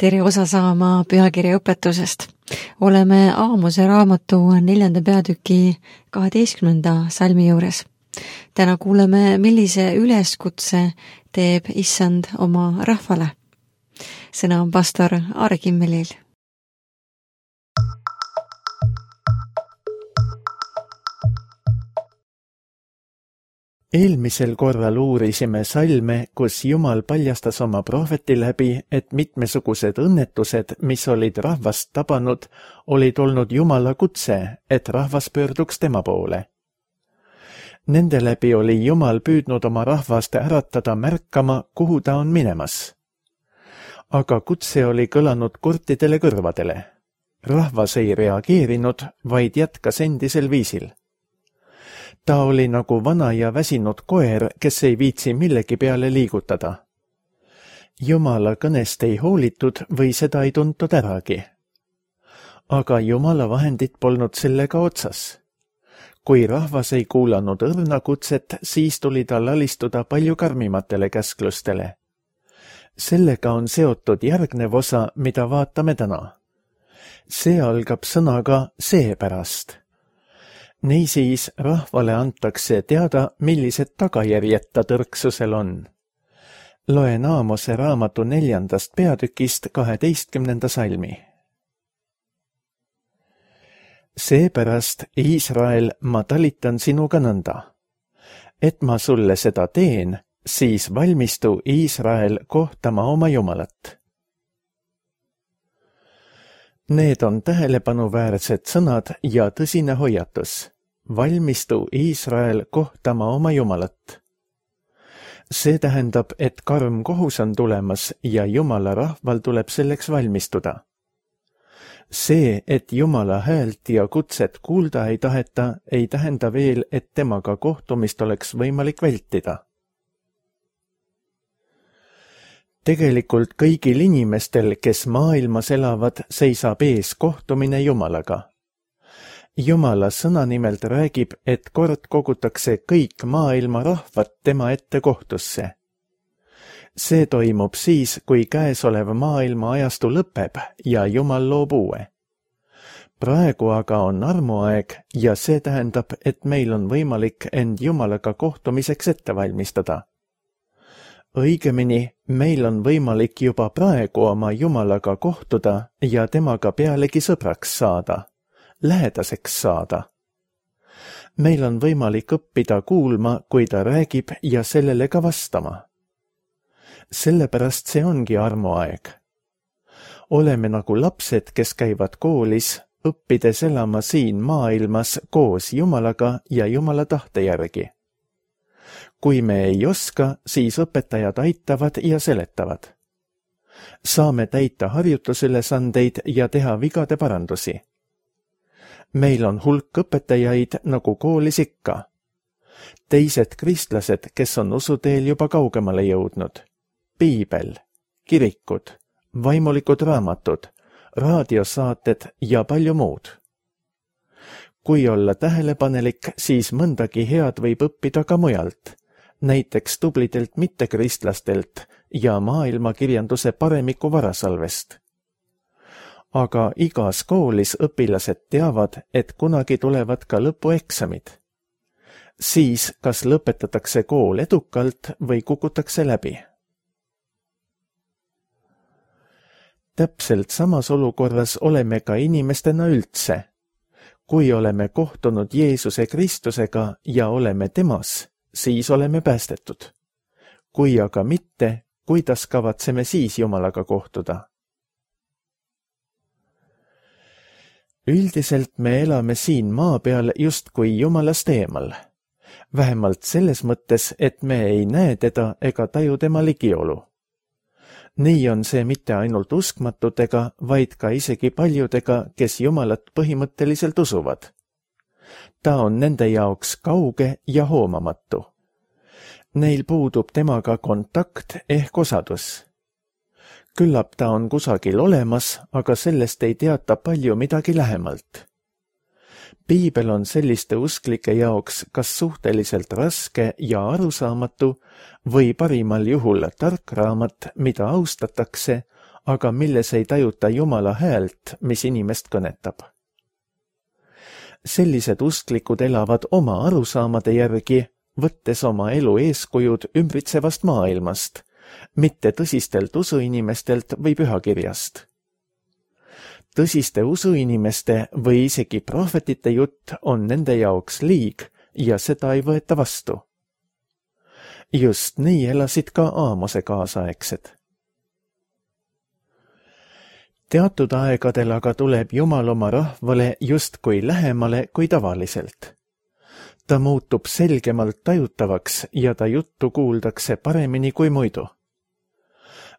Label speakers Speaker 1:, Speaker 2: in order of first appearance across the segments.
Speaker 1: Tere osa saama pühakirja õpetusest. Oleme Aamose raamatu 4. peatüki 12. salmi juures. Täna kuuleme, millise üleskutse teeb Issand oma rahvale. Sõna on pastor Aare Kimmelil.
Speaker 2: Eelmisel korral uurisime salme, kus Jumal paljastas oma prohveti läbi, et mitmesugused õnnetused, mis olid rahvast tabanud, olid olnud Jumala kutse, et rahvas pöörduks tema poole. Nende läbi oli Jumal püüdnud oma rahvast äratada märkama, kuhu ta on minemas. Aga kutse oli kõlanud kurtidele kõrvadele. Rahvas ei reageerinud, vaid jätkas endisel viisil. Ta oli nagu vana ja väsinud koer, kes ei viitsi millegi peale liigutada. Jumala kõnest ei hoolitud või seda ei tuntud äragi. Aga Jumala vahendid polnud sellega otsas. Kui rahvas ei kuulanud õrna kutset, siis tuli tal alistuda palju karmimatele käsklustele. Sellega on seotud järgnev osa, mida vaatame täna. See algab sõnaga seepärast. Niisiis rahvale antakse teada, millised tagajärjed ta tõrksusel on. Loen Aamose raamatu 4. peatükist 12. salmi. Seepärast, Iisrael, ma talitan sinuga nõnda. Et ma sulle seda teen, siis valmistu, Iisrael, kohtama oma Jumalat. Need on tähelepanuväärsed sõnad ja tõsine hoiatus. Valmistu, Iisrael, kohtama oma Jumalat. See tähendab, et karm kohus on tulemas ja Jumala rahval tuleb selleks valmistuda. See, et Jumala häält ja kutset kuulda ei taheta, ei tähenda veel, et temaga kohtumist oleks võimalik vältida. Tegelikult kõigil inimestel, kes maailmas elavad, seisab ees kohtumine Jumalaga. Jumala sõna nimelt räägib, et kord kogutakse kõik maailma rahvad tema ette kohtusse. See toimub siis, kui käesolev maailma ajastu lõpeb ja Jumal loob uue. Praegu aga on armuaeg ja see tähendab, et meil on võimalik end Jumalaga kohtumiseks ette valmistada. Õigemini, meil on võimalik juba praegu oma Jumalaga kohtuda ja temaga pealegi sõbraks saada, lähedaseks saada. Meil on võimalik õppida kuulma, kui ta räägib ja sellele ka vastama. Sellepärast see ongi armuaeg. Oleme nagu lapsed, kes käivad koolis, õppides elama siin maailmas koos Jumalaga ja Jumala tahte järgi. Kui me ei oska, siis õpetajad aitavad ja seletavad. Saame täita harjutusülesandeid ja teha vigade parandusi. Meil on hulk õpetajaid nagu koolis ikka. Teised kristlased, kes on usuteel juba kaugemale jõudnud. Piibel, kirikud, vaimulikud raamatud, raadiosaated ja palju muud. Kui olla tähelepanelik, siis mõndagi head võib õppida ka mujalt, näiteks tublidelt mittekristlastelt ja maailmakirjanduse paremiku varasalvest. Aga igas koolis õpilased teavad, et kunagi tulevad ka lõpueksamid. Siis kas lõpetatakse kool edukalt või kukutakse läbi. Täpselt samas olukorras oleme ka inimestena üldse. Kui oleme kohtunud Jeesuse Kristusega ja oleme temas, siis oleme päästetud. Kui aga mitte, kuidas kavatseme siis Jumalaga kohtuda? Üldiselt me elame siin maa peal justkui Jumalast eemal. Vähemalt selles mõttes, et me ei näe teda ega taju tema ligiolu. Nii on see mitte ainult uskmatutega, vaid ka isegi paljudega, kes Jumalat põhimõtteliselt usuvad. Ta on nende jaoks kauge ja hoomamatu. Neil puudub temaga kontakt ehk osadus. Küllap ta on kusagil olemas, aga sellest ei teata palju midagi lähemalt. Piibel on selliste usklike jaoks kas suhteliselt raske ja arusaamatu või parimal juhul tark raamat, mida austatakse, aga milles ei tajuta Jumala häält, mis inimest kõnetab. Sellised usklikud elavad oma arusaamade järgi, võttes oma elu eeskujud ümbritsevast maailmast, mitte tõsistelt usuinimestelt või pühakirjast. Tõsiste usuinimeste või isegi prohvetite jutt on nende jaoks liig ja seda ei võeta vastu. Just nii elasid ka Aamose kaasaegsed. Teatud aegadel aga tuleb Jumal oma rahvale justkui lähemale kui tavaliselt. Ta muutub selgemalt tajutavaks ja ta juttu kuuldakse paremini kui muidu.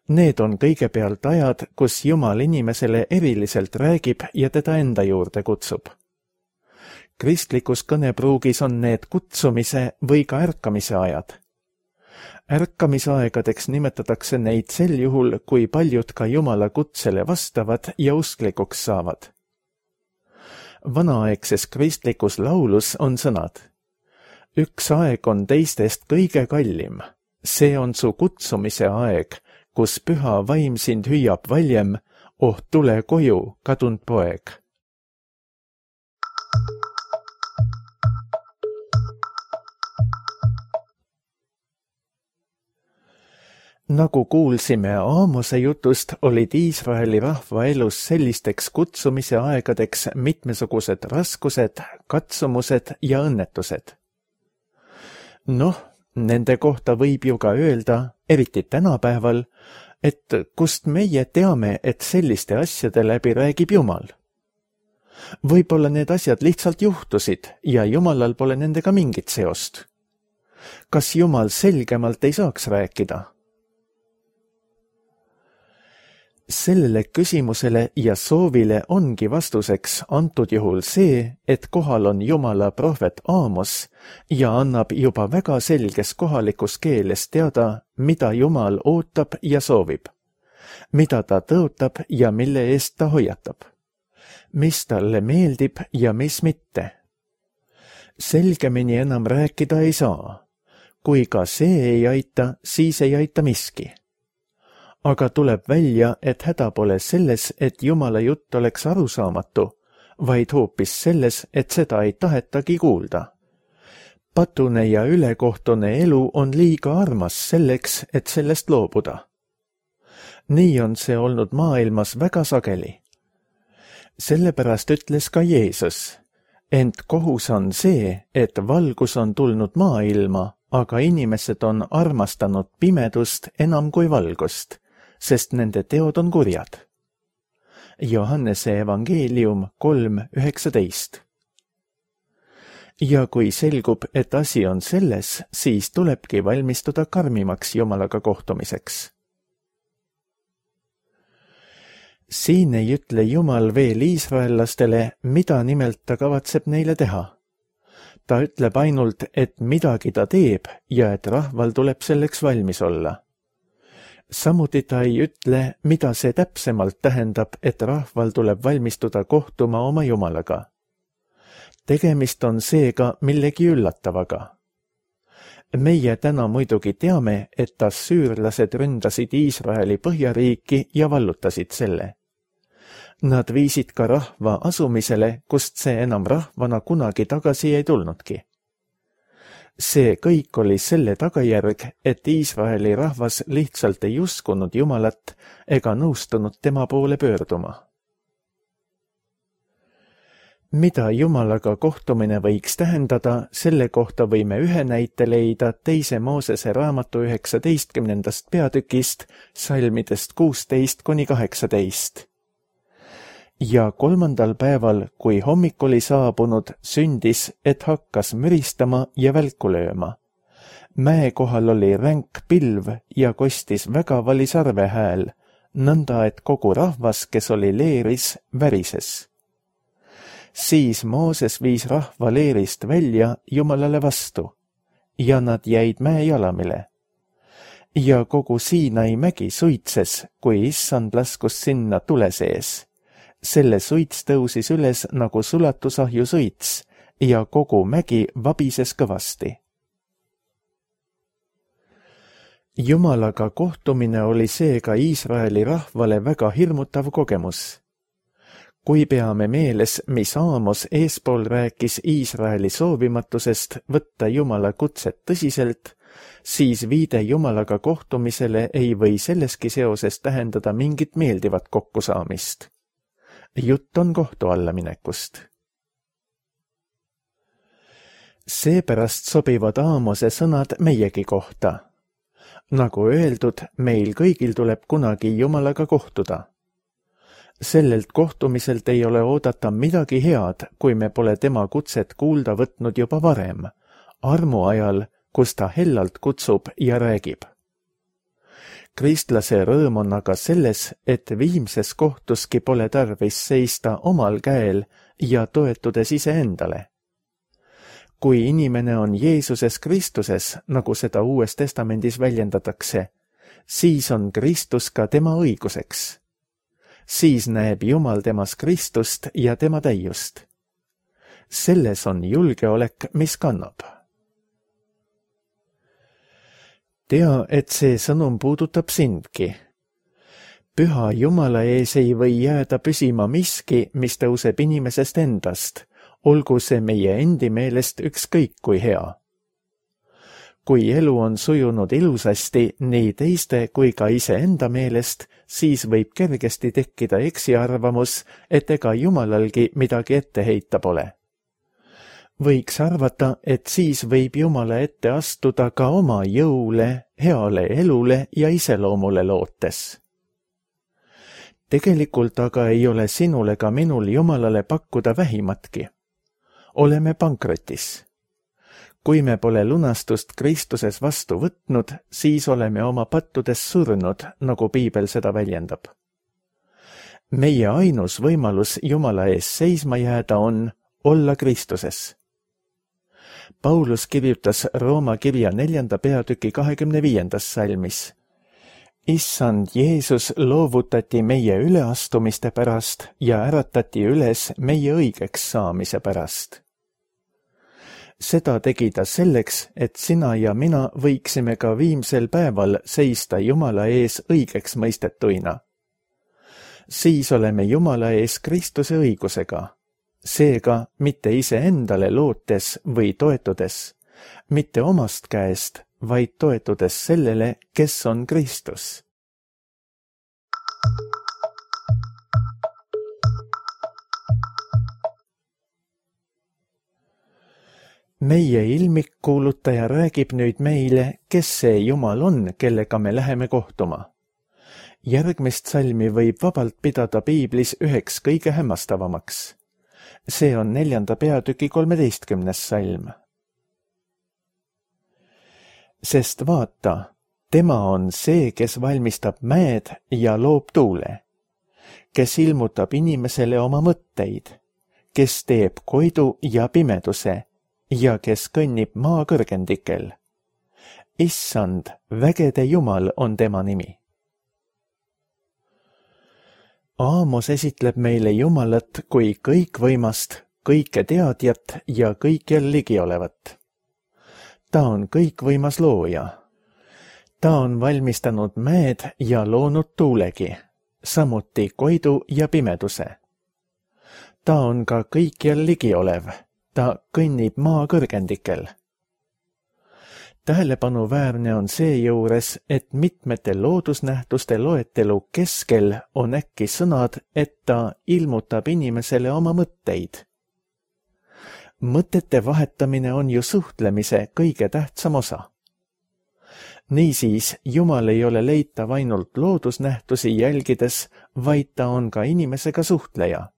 Speaker 2: Need on kõigepealt ajad, kus Jumal inimesele eriliselt räägib ja teda enda juurde kutsub. Kristlikus kõnepruugis on need kutsumise või ka ärkamise ajad. Ärkamisaegadeks nimetatakse neid sel juhul, kui paljud ka Jumala kutsele vastavad ja usklikuks saavad. Vanaaegses kristlikus laulus on sõnad: üks aeg on teistest kõige kallim, see on su kutsumise aeg, kus püha vaim sind hüüab valjem, oh tule koju, kadunud poeg. Nagu kuulsime Aamose jutust, olid Iisraeli rahva elus sellisteks kutsumise aegadeks mitmesugused raskused, katsumused ja õnnetused. Nende kohta võib ju ka öelda, eriti tänapäeval, et kust meie teame, et selliste asjade läbi räägib Jumal. Võib-olla need asjad lihtsalt juhtusid ja Jumalal pole nendega mingit seost. Kas Jumal selgemalt ei saaks rääkida? Sellele küsimusele ja soovile ongi vastuseks antud juhul see, et kohal on Jumala prohvet Aamos ja annab juba väga selges kohalikus keeles teada, mida Jumal ootab ja soovib, mida ta tõotab ja mille eest ta hoiatab, mis talle meeldib ja mis mitte. Selgemini enam rääkida ei saa. Kui ka see ei aita, siis ei aita miski. Aga tuleb välja, et häda pole selles, et Jumala jutt oleks arusaamatu, vaid hoopis selles, et seda ei tahetagi kuulda. Patune ja ülekohtune elu on liiga armas selleks, et sellest loobuda. Nii on see olnud maailmas väga sageli. Sellepärast ütles ka Jeesus, ent kohus on see, et valgus on tulnud maailma, aga inimesed on armastanud pimedust enam kui valgust, sest nende teod on kurjad. Johannese evangeelium 3:19. Ja kui selgub, et asi on selles, siis tulebki valmistuda karmimaks Jumalaga kohtumiseks. Siin ei ütle Jumal veel iisraellastele, mida nimelt ta kavatseb neile teha. Ta ütleb ainult, et midagi ta teeb ja et rahval tuleb selleks valmis olla. Samuti ta ei ütle, mida see täpsemalt tähendab, et rahval tuleb valmistuda kohtuma oma Jumalaga. Tegemist on seega millegi üllatavaga. Meie täna muidugi teame, et assüürlased ründasid Iisraeli põhjariiki ja vallutasid selle. Nad viisid ka rahva asumisele, kust see enam rahvana kunagi tagasi ei tulnudki. See kõik oli selle tagajärg, et Iisraeli rahvas lihtsalt ei uskunud Jumalat ega nõustunud tema poole pöörduma. Mida Jumalaga kohtumine võiks tähendada, selle kohta võime ühe näite leida 2. Moosese raamatu 19. peatükist, salmidest 16–18. Ja 3. päeval, kui hommik oli saabunud, sündis, et hakkas müristama ja välku lööma. Mäe kohal oli ränk pilv ja kostis väga vali sarve hääl, nõnda et kogu rahvas, kes oli leeris, värises. Siis Mooses viis rahva leerist välja Jumalale vastu ja nad jäid mäe jalamile. Ja kogu Siinai mägi suitses, kui issand laskus sinna tule sees. Selle suits tõusis üles nagu sulatusahju suits ja kogu mägi vabises kõvasti. Jumalaga kohtumine oli seega Iisraeli rahvale väga hirmutav kogemus. Kui peame meeles, mis Aamos eespool rääkis Iisraeli soovimatusest võtta Jumala kutset tõsiselt, siis viide Jumalaga kohtumisele ei või selleski seoses tähendada mingit meeldivat kokkusaamist. Jutt on kohtu alla minekust. Seepärast sobivad Aamose sõnad meiegi kohta. Nagu öeldud, meil kõigil tuleb kunagi Jumalaga kohtuda. Sellelt kohtumiselt ei ole oodata midagi head, kui me pole tema kutset kuulda võtnud juba varem, armu ajal, kus ta hellalt kutsub ja räägib. Kristlase rõõm on aga selles, et viimses kohtuski pole tarvis seista omal käel ja toetudes iseendale. Kui inimene on Jeesuses Kristuses, nagu seda Uues Testamendis väljendatakse, siis on Kristus ka tema õiguseks. Siis näeb Jumal temas Kristust ja tema täiust. Selles on julgeolek, mis kannab. Tea, et see sõnum puudutab sindki. Püha Jumala ees ei või jääda püsima miski, mis tõuseb inimesest endast, olgu see meie endi meelest ükskõik kui hea. Kui elu on sujunud ilusasti nii teiste kui ka iseenda meelest, siis võib kergesti tekkida eksiarvamus, et ega Jumalalgi midagi ette heita pole. Võiks arvata, et siis võib Jumala ette astuda ka oma jõule, heale elule ja iseloomule lootes. Tegelikult aga ei ole sinul ega minul Jumalale pakkuda vähimatki. Oleme pankrotis. Kui me pole lunastust Kristuses vastu võtnud, siis oleme oma pattudes surnud, nagu Piibel seda väljendab. Meie ainus võimalus Jumala ees seisma jääda on olla Kristuses. Paulus kirjutas Rooma kirja 4. peatüki 25. salmis. Issand Jeesus loovutati meie üleastumiste pärast ja äratati üles meie õigeks saamise pärast. Seda tegi ta selleks, et sina ja mina võiksime ka viimsel päeval seista Jumala ees õigeks mõistetuina. Siis oleme Jumala ees Kristuse õigusega, seega mitte iseendale lootes või toetudes, mitte omast käest, vaid toetudes sellele, kes on Kristus. Meie ilmikkuulutaja räägib nüüd meile, kes see Jumal on, kellega me läheme kohtuma. Järgmist salmi võib vabalt pidada Piiblis üheks kõige hämmastavamaks. See on 4. peatüki 13. salm. Sest vaata, tema on see, kes valmistab mäed ja loob tuule, kes ilmutab inimesele oma mõtteid, kes teeb koidu ja pimeduse ja kes kõnnib maa kõrgendikel. Issand, vägede Jumal on tema nimi. Aamos esitleb meile Jumalat kui kõikvõimast, kõike teadjat ja kõikjal ligiolevat. Ta on kõikvõimas looja. Ta on valmistanud mäed ja loonud tuulegi, samuti koidu ja pimeduse. Ta on ka kõikjal ligiolev. Ta kõnnib maa kõrgendikel. Tähelepanuväärne on seejuures, et mitmete loodusnähtuste loetelu keskel on äkki sõnad, et ta ilmutab inimesele oma mõtteid. Mõtete vahetamine on ju suhtlemise kõige tähtsam osa. Niisiis, Jumal ei ole leitav ainult loodusnähtusi jälgides, vaid ta on ka inimesega suhtleja.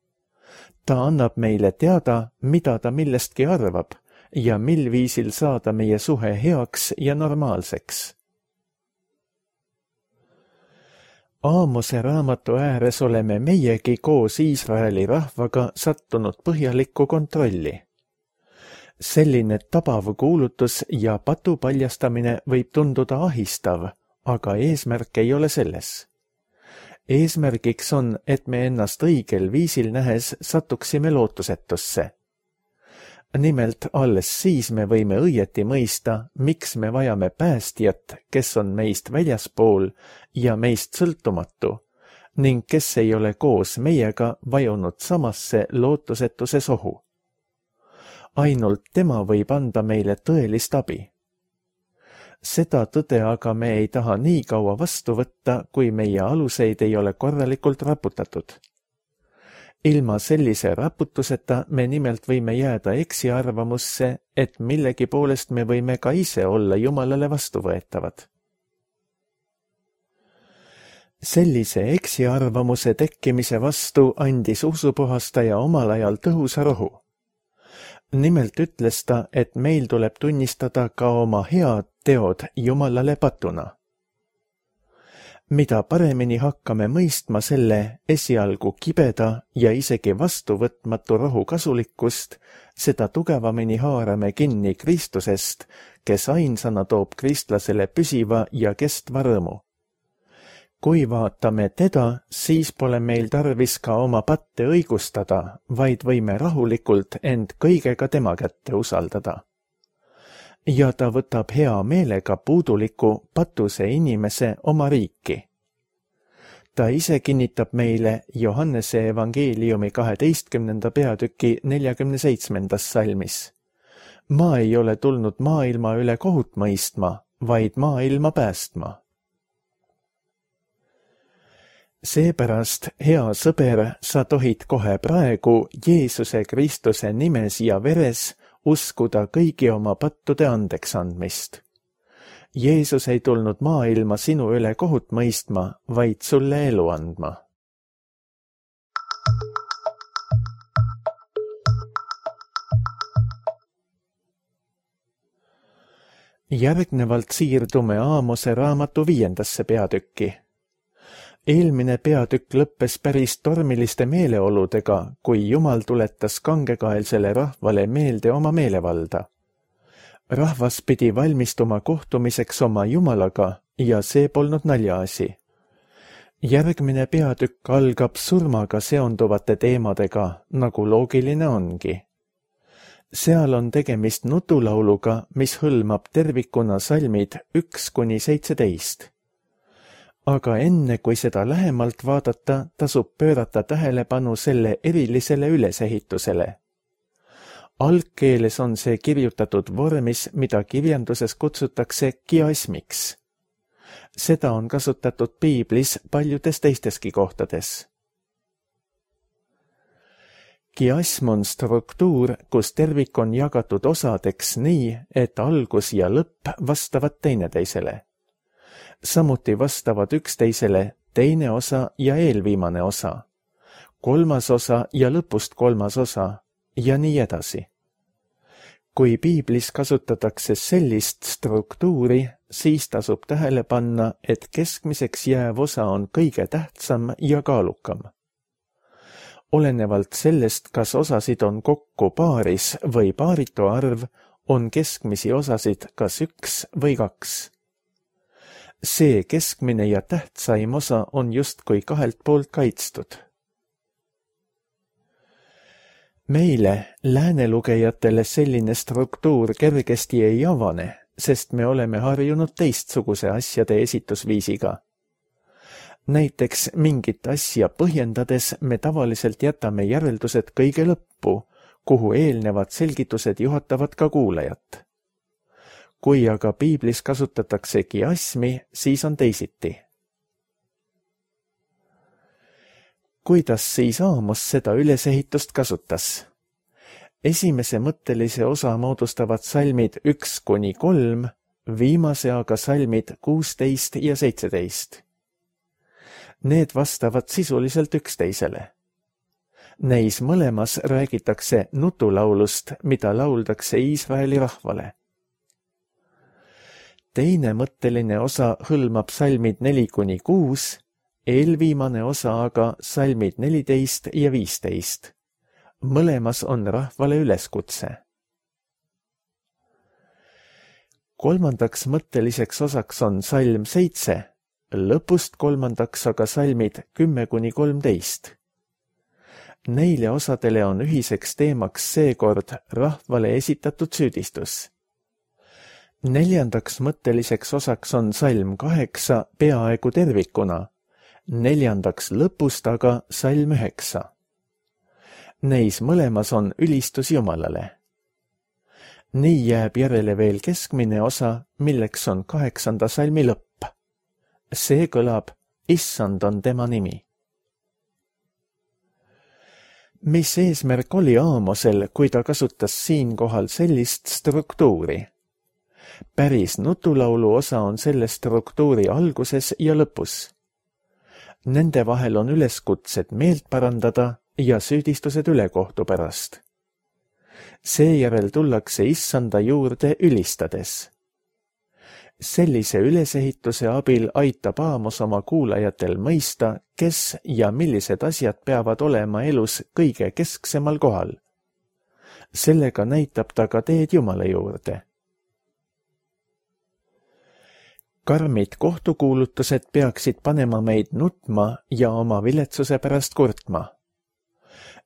Speaker 2: Ta annab meile teada, mida ta millestki arvab ja mil viisil saada meie suhe heaks ja normaalseks. Aamose raamatu ääres oleme meiegi koos Iisraeli rahvaga sattunud põhjalikku kontrolli. Selline tabav kuulutus ja patu paljastamine võib tunduda ahistav, aga eesmärk ei ole selles. Eesmärgiks on, et me ennast õigel viisil nähes satuksime lootusetusse. Nimelt alles siis me võime õieti mõista, miks me vajame päästjat, kes on meist väljaspool ja meist sõltumatu ning kes ei ole koos meiega vajunud samasse lootusetuse sohu. Ainult tema võib anda meile tõelist abi. Seda tõde aga me ei taha nii kaua vastu võtta, kui meie aluseid ei ole korralikult raputatud. Ilma sellise raputuseta me nimelt võime jääda eksiarvamusse, et millegi poolest me võime ka ise olla Jumalale vastuvõetavad. Sellise eksiarvamuse tekkimise vastu andis usupuhastaja omal ajal tõhusa rohu. Nimelt ütles ta, et meil tuleb tunnistada ka oma head teod Jumalale patuna. Mida paremini hakkame mõistma selle esialgu kibeda ja isegi vastuvõtmatu rohu kasulikkust, seda tugevamini haarame kinni Kristusest, kes ainsana toob kristlasele püsiva ja kestva rõõmu. Kui vaatame teda, siis pole meil tarvis ka oma patte õigustada, vaid võime rahulikult end kõigega tema kätte usaldada. Ja ta võtab hea meelega puuduliku patuse inimese oma riiki. Ta ise kinnitab meile Johannese evangeeliumi 12. peatüki 47. salmis. Ma ei ole tulnud maailma üle kohut mõistma, vaid maailma päästma. Seepärast, hea sõber, sa tohid kohe praegu Jeesuse Kristuse nimes ja veres uskuda kõigi oma pattude andeks andmist. Jeesus ei tulnud maailma sinu üle kohut mõistma, vaid sulle elu andma. Järgnevalt siirdume Aamose raamatu 5. peatükki. Eelmine peatükk lõppes päris tormiliste meeleoludega, kui Jumal tuletas kangekaelsele rahvale meelde oma meelevalda. Rahvas pidi valmistuma kohtumiseks oma Jumalaga ja see polnud naljaasi. Järgmine peatükk algab surmaga seonduvate teemadega, nagu loogiline ongi. Seal on tegemist nutulauluga, mis hõlmab tervikuna salmid 1–17. Aga enne, kui seda lähemalt vaadata, tasub pöörata tähelepanu selle erilisele ülesehitusele. Algkeeles on see kirjutatud vormis, mida kirjanduses kutsutakse kiasmiks. Seda on kasutatud piiblis paljudes teisteski kohtades. Kiasm on struktuur, kus tervik on jagatud osadeks nii, et algus ja lõpp vastavad teineteisele. Samuti vastavad üksteisele teine osa ja eelviimane osa, kolmas osa ja lõpust kolmas osa ja nii edasi. Kui piiblis kasutatakse sellist struktuuri, siis tasub tähele panna, et keskmiseks jääv osa on kõige tähtsam ja kaalukam. Olenevalt sellest, kas osasid on kokku paaris või paaritu arv, on keskmisi osasid kas 1 või 2. See keskmine ja tähtsaim osa on justkui kahelt poolt kaitstud. Meile, läänelugejatele selline struktuur kergesti ei avane, sest me oleme harjunud teistsuguse asjade esitusviisiga. Näiteks mingit asja põhjendades me tavaliselt jätame järeldused kõige lõppu, kuhu eelnevad selgitused juhatavad ka kuulajat. Kui aga piiblis kasutatakse kiasmi, siis on teisiti. Kuidas siis Aamos seda ülesehitust kasutas? Esimese mõttelise osa moodustavad salmid 1–3, viimase aga salmid 16 ja 17. Need vastavad sisuliselt üksteisele. Neis mõlemas räägitakse nutulaulust, mida lauldakse Iisraeli rahvale. Teine mõtteline osa hõlmab salmid 4–6, eelviimane osa aga salmid 14 ja 15. Mõlemas on rahvale üleskutse. Kolmandaks mõtteliseks osaks on salm 7, lõpust kolmandaks aga salmid 10–13. Neile osadele on ühiseks teemaks seekord rahvale esitatud süüdistus. 4. mõtteliseks osaks on salm 8 peaaegu tervikuna, 4. lõpust aga salm 9. Neis mõlemas on ülistus Jumalale. Nii jääb järele veel keskmine osa, milleks on 8. salmi lõpp. See kõlab, Issand on tema nimi. Mis eesmärk oli Aamosel, kui ta kasutas siinkohal sellist struktuuri? Päris nutulaulu osa on selle struktuuri alguses ja lõpus. Nende vahel on üleskutsed meelt parandada ja süüdistused ülekohtu pärast. Seejärel tullakse Issanda juurde ülistades. Sellise ülesehituse abil aitab Aamos oma kuulajatel mõista, kes ja millised asjad peavad olema elus kõige kesksemal kohal. Sellega näitab ta ka teed Jumala juurde. Karmid kohtukuulutused peaksid panema meid nutma ja oma viletsuse pärast kurtma.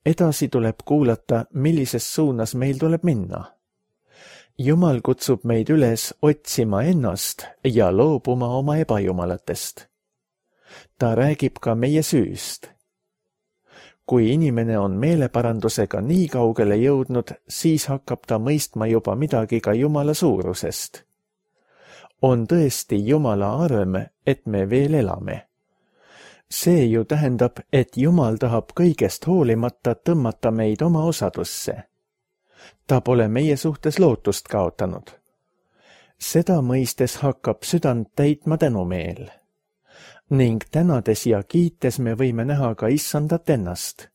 Speaker 2: Edasi tuleb kuulata, millises suunas meil tuleb minna. Jumal kutsub meid üles otsima ennast ja loobuma oma ebajumalatest. Ta räägib ka meie süüst. Kui inimene on meeleparandusega nii kaugele jõudnud, siis hakkab ta mõistma juba midagi ka Jumala suurusest. On tõesti Jumala arm, et me veel elame. See ju tähendab, et Jumal tahab kõigest hoolimata tõmmata meid oma osadusse. Ta pole meie suhtes lootust kaotanud. Seda mõistes hakkab südant täitma tänumeel. Ning tänades ja kiites me võime näha ka Issandat ennast.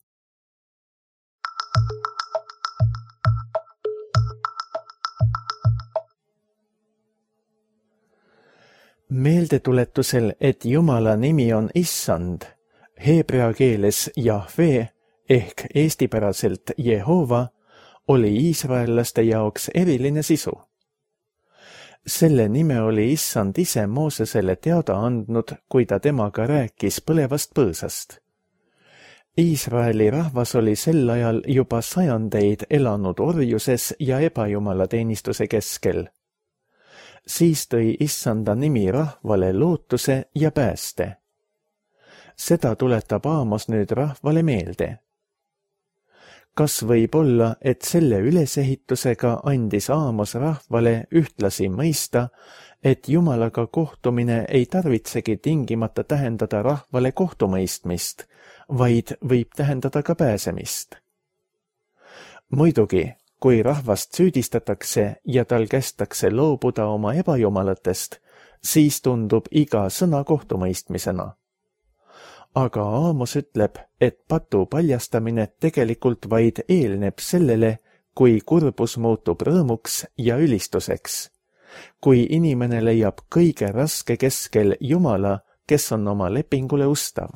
Speaker 2: Meeldetuletusel, et Jumala nimi on Issand, heebrea keeles Jahve ehk eestipäraselt Jehova, oli iisraellaste jaoks eriline sisu. Selle nime oli Issand ise Moosesele teada andnud, kui ta temaga rääkis põlevast põõsast. Iisraeli rahvas oli sel ajal juba sajandeid elanud orjuses ja ebajumalateenistuse keskel. Siis tõi Issanda nimi rahvale lootuse ja pääste. Seda tuletab Aamos nüüd rahvale meelde. Kas võib olla, et selle ülesehitusega andis Aamos rahvale ühtlasi mõista, et Jumalaga kohtumine ei tarvitsegi tingimata tähendada rahvale kohtumõistmist, vaid võib tähendada ka pääsemist? Muidugi, kui rahvast süüdistatakse ja tal kästakse loobuda oma ebajumalatest, siis tundub iga sõna kohtumõistmisena. Aga Aamos ütleb, et patu paljastamine tegelikult vaid eelneb sellele, kui kurbus muutub rõõmuks ja ülistuseks. Kui inimene leiab kõige raske keskel Jumala, kes on oma lepingule ustav.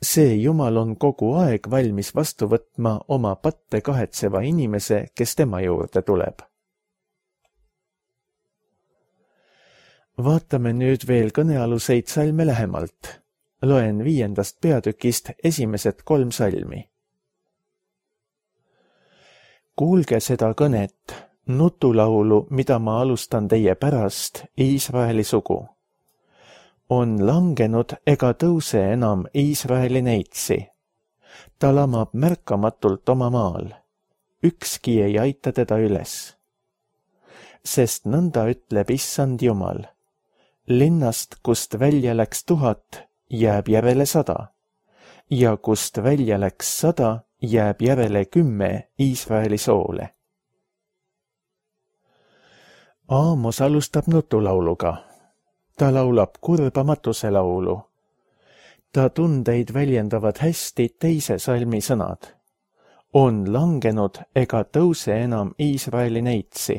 Speaker 2: See Jumal on kogu aeg valmis vastu võtma oma patte kahetseva inimese, kes tema juurde tuleb. Vaatame nüüd veel kõnealuseid salme lähemalt. Loen 5. peatükist esimesed 3 salmi. Kuulge seda kõnet, nutulaulu, mida ma alustan teie pärast, Iisraeli sugu. On langenud ega tõuse enam Iisraeli neitsi. Ta lamab märkamatult oma maal. Ükski ei aita teda üles. Sest nõnda ütleb Issand Jumal. Linnast, kust välja läks 1000, jääb järele 100, ja kust välja läks 100, jääb järele 10 Iisraeli soole. Aamos alustab nutulauluga. Ta laulab kurbamatuse laulu. Ta tundeid väljendavad hästi teise salmi sõnad. On langenud ega tõuse enam Iisraeli neitsi.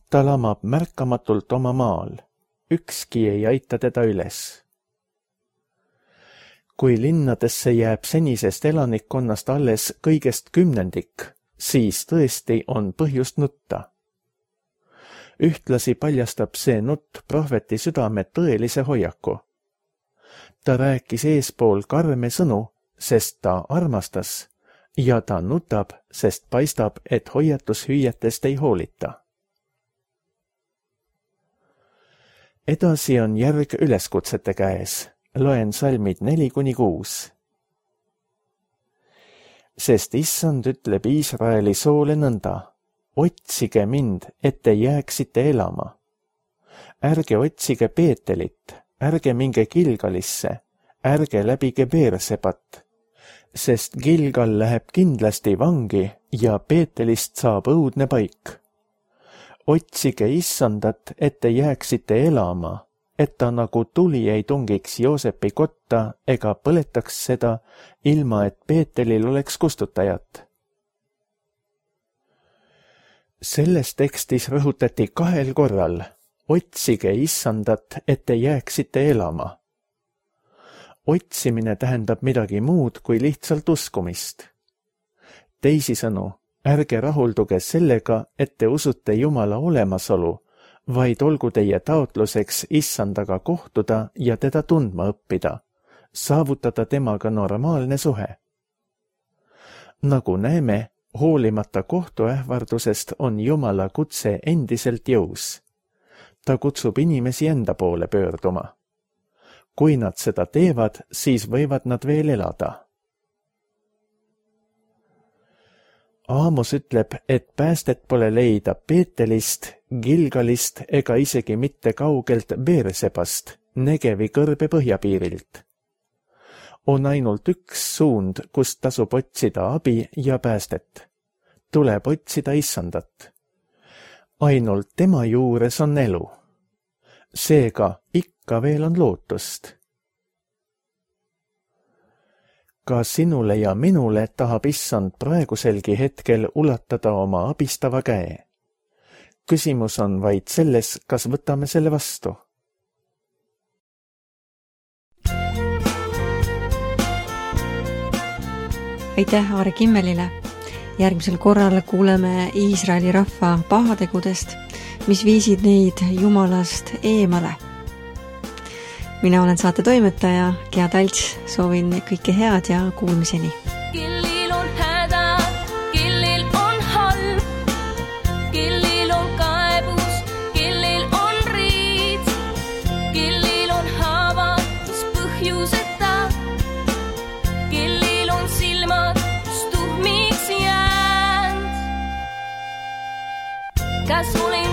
Speaker 2: Ta lamab märkamatult oma maal. Ükski ei aita teda üles. Kui linnadesse jääb senisest elanikkonnast alles kõigest 10%, siis tõesti on põhjust nutta. Ühtlasi paljastab see nutt prohveti südame tõelise hoiaku. Ta rääkis eespool karme sõnu, sest ta armastas, ja ta nutab, sest paistab, et hoiatushüüetest ei hoolita. Edasi on järg üleskutsete käes. Loen salmid 4-6. Sest issand ütleb Iisraeli soole nõnda: otsige mind, et te jääksite elama. Ärge otsige Peetelit, ärge minge Gilgalisse, ärge läbige Beersebat, sest Gilgal läheb kindlasti vangi ja Peetelist saab õudne paik. Otsige issandat, et te jääksite elama, et ta nagu tuli ei tungiks Joosepi kotta ega põletaks seda, ilma et Peetelil oleks kustutajat. Selles tekstis rõhutati 2 korral: otsige issandat, et te jääksite elama. Otsimine tähendab midagi muud kui lihtsalt uskumist. Teisisõnu, ärge rahulduge sellega, et te usute Jumala olemasolu, vaid olgu teie taotluseks issandaga kohtuda ja teda tundma õppida, saavutada temaga normaalne suhe. Nagu näeme, hoolimata kohtuähvardusest on Jumala kutse endiselt jõus. Ta kutsub inimesi enda poole pöörduma. Kui nad seda teevad, siis võivad nad veel elada. Aamos ütleb, et päästet pole leida Peetelist, Gilgalist ega isegi mitte kaugelt Beersebast, Negevi kõrbe põhjapiirilt. On ainult üks suund, kust tasub otsida abi ja päästet. Tuleb otsida issandat. Ainult tema juures on elu. Seega ikka veel on lootust. Ka sinule ja minule tahab issand praeguselgi hetkel ulatada oma abistava käe. Küsimus on vaid selles, kas võtame selle vastu.
Speaker 1: Aitäh Aare Kimmelile. Järgmisel korral kuuleme Iisraeli rahva pahategudest, mis viisid neid Jumalast eemale. Mina olen saate toimetaja Gea Talts, soovin kõike head ja kuulmiseni.
Speaker 3: Kellil on häda, kellil on halb, kellil on kaebus, kellil on riid, kellil on haavatus põhjuseta, kellil on silmad tuhmiks jäänud. Kas ole